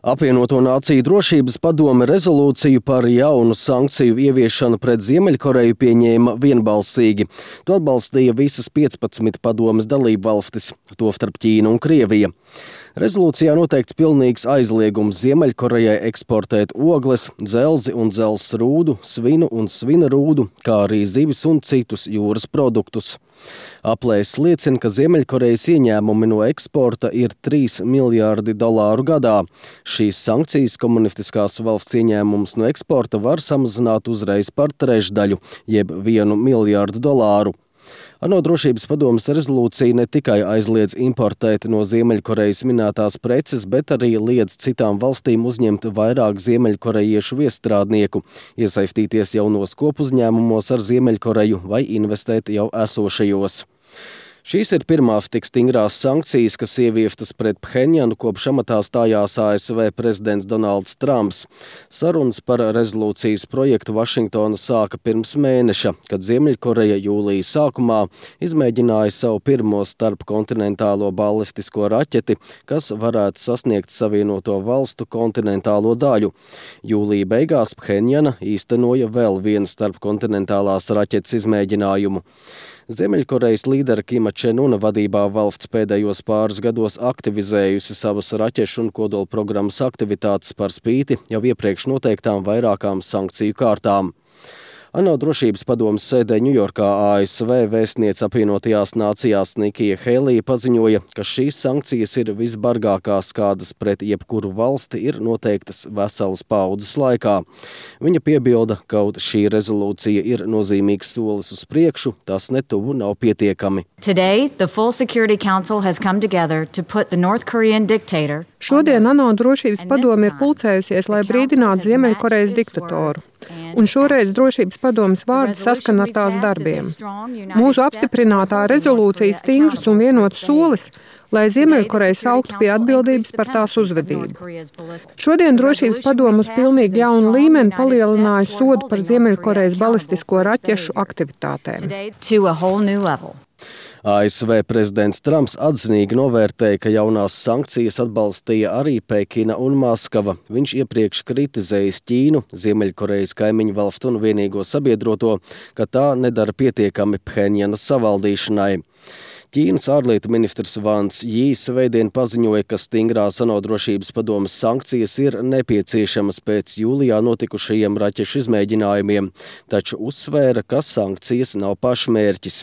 Apvienoto Nāciju drošības padome rezolūciju par jaunu sankciju ieviešanu pret Ziemeļkoreju pieņēma vienbalsīgi. To atbalstīja visas 15 padomes dalībvalstis, tostarp Ķīna un Krievija. Rezolūcijā noteikts pilnīgs aizliegums Ziemeļkorejai eksportēt ogles, dzelzi un dzelzs rūdu, svinu un svina rūdu, kā arī zivis un citus jūras produktus. Aplēses liecina, ka Ziemeļkorejas ieņēmumi no eksporta ir $3 miljārdi gadā. Šīs sankcijas komunistiskās valsts ieņēmumus no eksporta var samazināt uzreiz par trešdaļu, jeb $1 miljārdu. ANO drošības padomes rezolūcija ne tikai aizliedz importēt no Ziemeļkorejas minētās preces, bet arī liedz citām valstīm uzņemt vairāk ziemeļkorejiešu viestrādnieku, iesaistīties jaunos kopuzņēmumos ar Ziemeļkoreju vai investēt jau esošajos. Šīs ir pirmās tik stingrās sankcijas, kas ieviestas pret Phenjanu, kopš amatā stājās ASV prezidents Donalds Trumps. Sarunas par rezolūcijas projektu Vašingtona sāka pirms mēneša, kad Ziemeļkoreja jūlijas sākumā izmēģināja savu pirmo starpkontinentālo balistisko raķeti, kas varētu sasniegt Savienoto valstu kontinentālo daļu. Jūlija beigās Phenjana īstenoja vēl vienu starpkontinentālās raķetes izmēģinājumu. Ziemeļkorejas līdera Kima Čen Una vadībā valsts pēdējos pāris gados aktivizējusi savas raķešu un kodola programmas aktivitātes par spīti jau iepriekš noteiktām vairākām sankciju kārtām. ANO drošības padomes sēdē Ņujorkā ASV vēstniece apvienotajās nācijās Nikija Helija paziņoja, ka šīs sankcijas ir visbargākās, kādas pret jebkuru valsti ir noteiktas veselas paudzes laikā. Viņa piebilda, ka kaut šī rezolūcija ir nozīmīgs solis uz priekšu, tas netuvu nav pietiekami. Today, the full Security Council has come together to put the North Korean dictator. Šodien ANO drošības padome ir pulcējusies, lai brīdinātu Ziemeļkorejas diktatoru. Un šoreiz drošības padomes vārdi saskan ar tās darbiem. Mūsu apstiprinātā rezolūcija stingrs un vienots solis, lai Ziemeļkoreja sauktu pie atbildības par tās uzvedību. Šodien drošības padome uz pilnīgi jaunu līmeni palielināja sodu par Ziemeļkorejas balistisko raķešu aktivitātēm. ASV prezidents Trumps atzinīgi novērtēja, ka jaunās sankcijas atbalstīja arī Pekina un Maskava. Viņš iepriekš kritizējis Ķīnu, Ziemeļkorejas kaimiņu valstu un vienīgo sabiedroto, ka tā nedara pietiekami Phenjanas savaldīšanai. Ķīnas ārlietu ministrs Vans Jī svētdien paziņoja, ka stingrās ANO drošības padomes sankcijas ir nepieciešamas pēc jūlijā notikušajiem raķešu izmēģinājumiem, taču uzsvēra, ka sankcijas nav pašmērķis.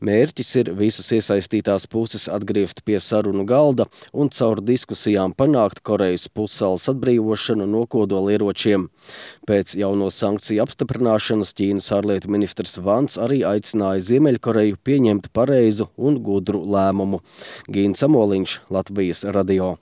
Mērķis ir visas iesaistītās puses atgriezt pie sarunu galda un caur diskusijām panākt Korejas pussalas atbrīvošanu no kodolieročiem. Pēc jauno sankciju apstiprināšanas Ķīnas ārlietu ministrs Vans arī aicināja Ziemeļkoreju pieņemt pareizu un gudru lēmumu. Gīns Amoliņš, Latvijas radio.